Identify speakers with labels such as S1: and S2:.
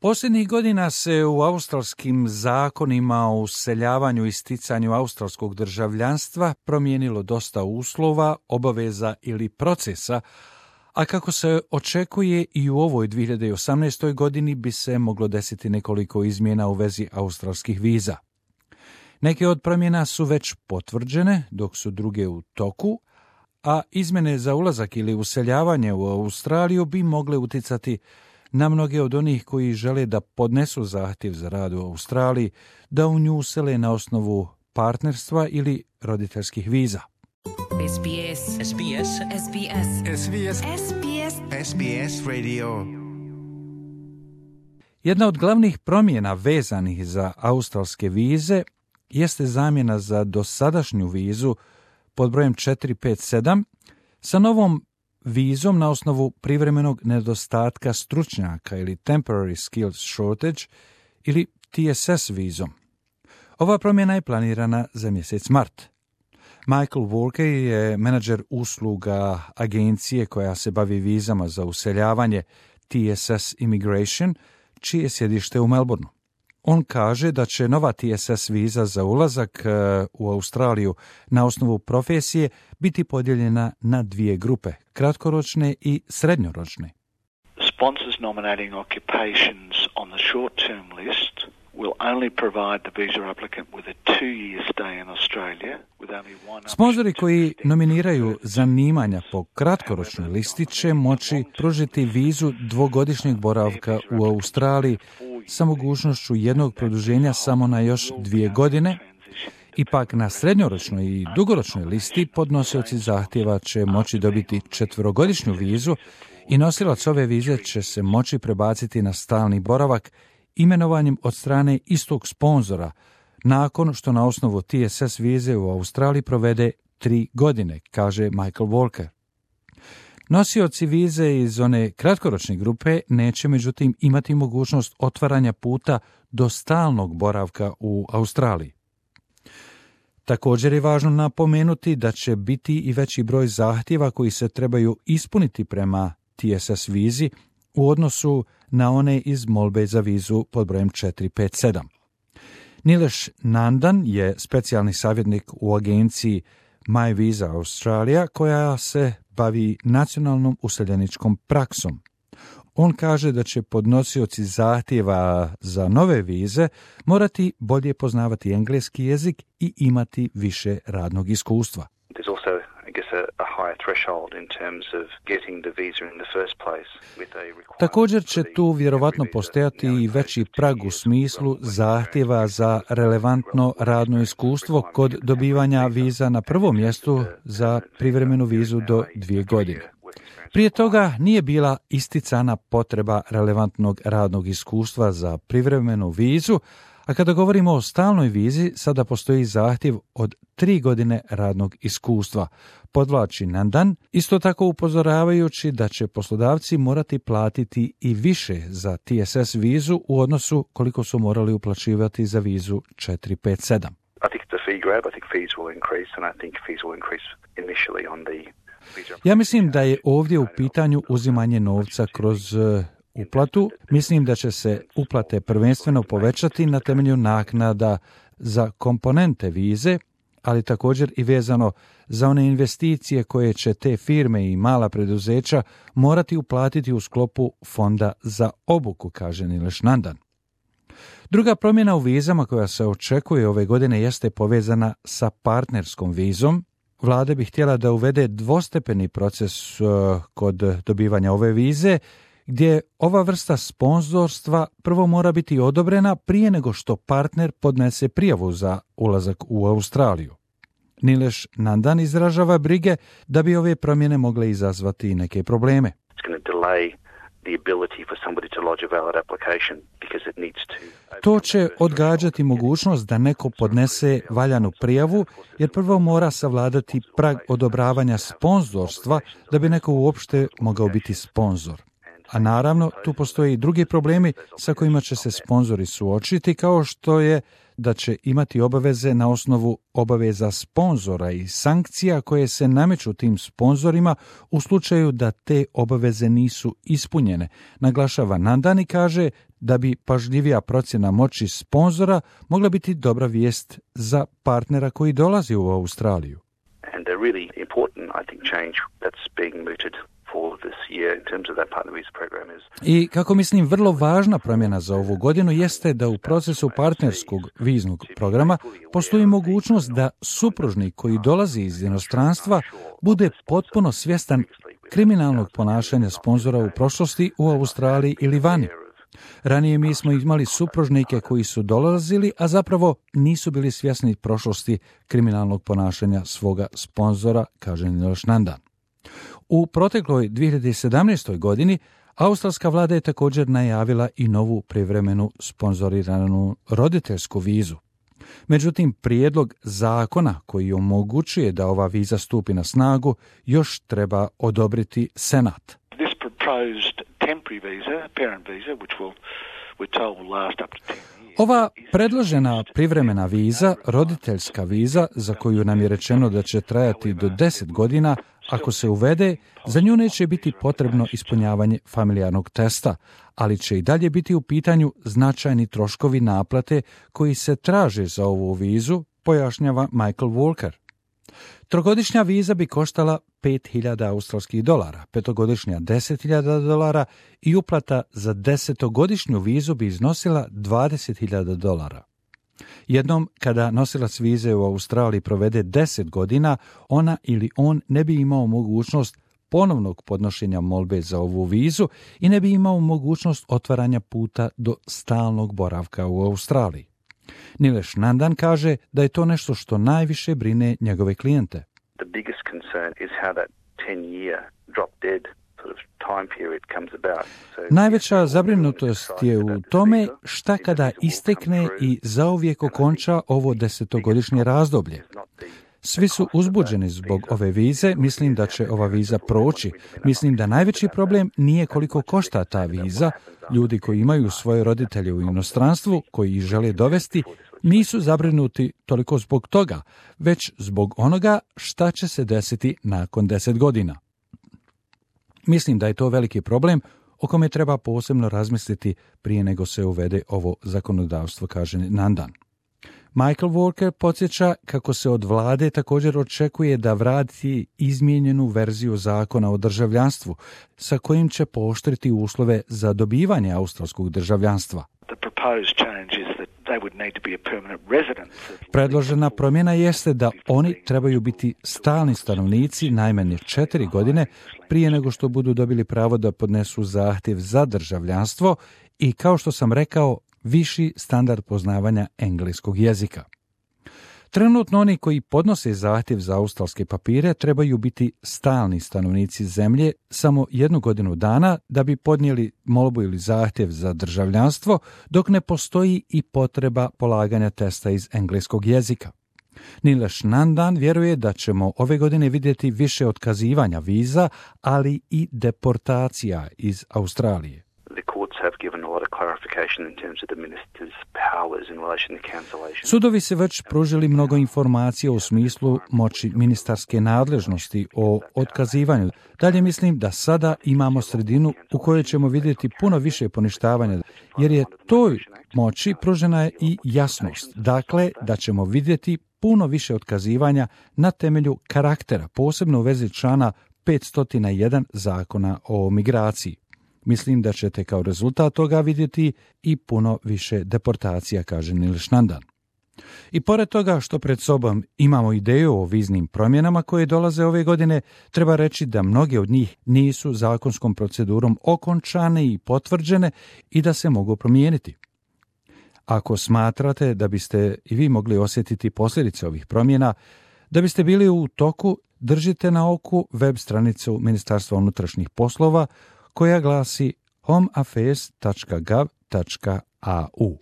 S1: Posljednjih godina se u australskim zakonima o useljavanju i sticanju australskog državljanstva promijenilo dosta uslova, obaveza ili procesa, a kako se očekuje i u ovoj 2018. godini bi se moglo desiti nekoliko izmjena u vezi australskih viza. Neke od promjena su već potvrđene, dok su druge u toku, a izmjene za ulazak ili useljavanje u Australiju bi mogle utjecati na mnoge od onih koji žele da podnesu zahtjev za rad u Australiji, da u nju usele na osnovu partnerstva ili roditeljskih viza.
S2: SBS. SBS. SBS. SBS. SBS.
S3: SBS Radio.
S1: Jedna od glavnih promjena vezanih za australske vize jeste zamjena za dosadašnju vizu pod brojem 457 sa novom vizom na osnovu privremenog nedostatka stručnjaka ili Temporary Skills Shortage ili TSS vizom. Ova promjena je planirana za mjesec mart. Michael Walker je menadžer usluga agencije koja se bavi vizama za useljavanje TSS Immigration, čije je sjedište u Melbourneu. On kaže da će nova TSS viza za ulazak u Australiju na osnovu profesije biti podijeljena na dvije grupe, kratkoročne i srednjoročne.
S4: Sponsors nominating occupations on the short-term list will only provide the visa applicant with a 2-year stay in Australia with only one option.
S1: Sponzori koji nominiraju zanimanja po kratkoročnoj listi će moći pružiti vizu dvogodišnjeg boravka u Australiji sa mogućnošću jednog produženja samo na još 2 godine. Ipak na srednjoročnoj i dugoročnoj listi podnosioci zahtjeva će moći dobiti 4-godišnju vizu i nosilac ove vize će se moći prebaciti na stalni boravak imenovanjem od strane istog sponzora, nakon što na osnovu TSS vize u Australiji provede 3 godine, kaže Michael Walker. Nosioci vize iz one kratkoročne grupe neće međutim imati mogućnost otvaranja puta do stalnog boravka u Australiji. Također je važno napomenuti da će biti i veći broj zahtjeva koji se trebaju ispuniti prema TSS vizi u odnosu na one iz molbe za vizu pod brojem 457. Nilesh Nandan je specijalni savjetnik u agenciji My Visa Australia koja se bavi nacionalnom useljeničkom praksom. On kaže da će podnosioci zahtjeva za nove vize morati bolje poznavati engleski jezik i imati više radnog iskustva.
S5: There's also, I guess, a higher threshold in terms of getting the visa in the first place with a requirement.
S1: Također će tu vjerovatno postojati i veći prag u smislu zahtjeva za relevantno radno iskustvo kod dobivanja viza na prvom mjestu za privremenu vizu do 2 godine. Prije toga nije bila isticana potreba relevantnog radnog iskustva za privremenu vizu, a kada govorimo o stalnoj vizi, sada postoji zahtjev od 3 godine radnog iskustva, podvlači Nandan, isto tako upozoravajući da će poslodavci morati platiti i više za TSS vizu u odnosu koliko su morali uplaćivati za vizu 457.
S5: I think it's a fee grab. I think fees will increase, and I think fees will increase initially on the.
S1: Ja mislim da je ovdje u pitanju uzimanje novca kroz uplatu. Mislim da će se uplate prvenstveno povećati na temelju naknada za komponente vize, ali također i vezano za one investicije koje će te firme i mala preduzeća morati uplatiti u sklopu fonda za obuku, kaže Nilesh Nandan. Druga promjena u vizama koja se očekuje ove godine jeste povezana sa partnerskom vizom. Vlada bi htjela da uvede dvostepeni proces kod dobivanja ove vize, gdje ova vrsta sponzorstva prvo mora biti odobrena prije nego što partner podnese prijavu za ulazak u Australiju. Nilesh Nandan izražava brige da bi ove promjene mogle izazvati neke probleme. To će odgađati mogućnost da neko podnese valjanu prijavu, jer prvo mora savladati prag odobravanja sponzorstva da bi neko uopšte mogao biti sponzor. A naravno, tu postoje i drugi problemi sa kojima će se sponzori suočiti, kao što je da će imati obaveze na osnovu obaveza sponzora i sankcija koje se nameću tim sponzorima u slučaju da te obaveze nisu ispunjene. Naglašava Nandan i kaže da bi pažljivija procjena moći sponzora mogla biti dobra vijest za partnera koji dolazi u Australiju.
S5: And a really important, I think, change that's being mooted for this year in terms of that partner visa program is...
S1: I kako mislim, vrlo važna promjena za ovu godinu jeste da u procesu partnerskog viznog programa postoji mogućnost da supružnik koji dolazi iz inostranstva bude potpuno svjestan kriminalnog ponašanja sponzora u prošlosti u Australiji ili vani. Ranije mi smo imali supružnike koji su dolazili, a zapravo nisu bili svjesni prošlosti kriminalnog ponašanja svoga sponzora, kaže Nilesh Nandan. U protekloj 2017. godini australska vlada je također najavila i novu privremenu sponzoriranu roditeljsku vizu. Međutim, prijedlog zakona koji omogućuje da ova viza stupi na snagu još treba odobriti Senat.
S4: This proposed temporary visa, parent visa, which we're told will last up to 10 years.
S1: Ova predložena privremena viza, roditeljska viza, za koju nam je rečeno da će trajati do 10 godina, ako se uvede, za nju neće biti potrebno ispunjavanje familijarnog testa, ali će i dalje biti u pitanju značajni troškovi naplate koji se traže za ovu vizu, pojašnjava Michael Walker. Trogodišnja viza bi koštala $5,000 australskih dolara, petogodišnja $10,000 i uplata za 10-godišnju vizu bi iznosila $20,000. Jednom kada nosilac vize u Australiji provede 10 godina, ona ili on ne bi imao mogućnost ponovnog podnošenja molbe za ovu vizu i ne bi imao mogućnost otvaranja puta do stalnog boravka u Australiji. Nilesh Nandan kaže da je to nešto što najviše brine njegove klijente.
S5: The biggest concern is how that 10-year drop dead sort of time period comes about.
S1: Najveća zabrinutost je u tome šta kada istekne i zauvijek okonča ovo 10-godišnje razdoblje. Svi su uzbuđeni zbog ove vize, mislim da će ova viza proći. Mislim da najveći problem nije koliko košta ta viza. Ljudi koji imaju svoje roditelje u inostranstvu, koji ih žele dovesti, nisu zabrinuti toliko zbog toga, već zbog onoga šta će se desiti nakon 10 godina. Mislim da je to veliki problem o kome treba posebno razmisliti prije nego se uvede ovo zakonodavstvo, kaže Nandan. Michael Walker podsjeća kako se od vlade također očekuje da vrati izmijenjenu verziju zakona o državljanstvu, sa kojim će pooštriti uslove za dobivanje australskog državljanstva. Predložena promjena jeste da oni trebaju biti stalni stanovnici najmanje 4 godine prije nego što budu dobili pravo da podnesu zahtjev za državljanstvo i, kao što sam rekao, viši standard poznavanja engleskog jezika. Trenutno oni koji podnose zahtjev za australske papire trebaju biti stalni stanovnici zemlje samo 1 godinu dana da bi podnijeli molbu ili zahtjev za državljanstvo, dok ne postoji i potreba polaganja testa iz engleskog jezika. Nilesh Nandan vjeruje da ćemo ove godine vidjeti više otkazivanja viza, ali i deportacija iz Australije. Sudovi se već pružili mnogo informacija u smislu moći ministarske nadležnosti o otkazivanju. Dalje mislim da sada imamo sredinu u kojoj ćemo vidjeti puno više poništavanja, jer je toj moći pružena je i jasnost. Dakle, da ćemo vidjeti puno više otkazivanja na temelju karaktera, posebno u vezi člana 501 zakona o migraciji. Mislim da ćete kao rezultat toga vidjeti i puno više deportacija, kaže Nilesh Nandan. I pored toga što pred sobom imamo ideju o viznim promjenama koje dolaze ove godine, treba reći da mnoge od njih nisu zakonskom procedurom okončane i potvrđene i da se mogu promijeniti. Ako smatrate da biste i vi mogli osjetiti posljedice ovih promjena, da biste bili u toku, držite na oku web stranicu Ministarstva unutrašnjih poslova koja glasi homeaffairs.gov.au.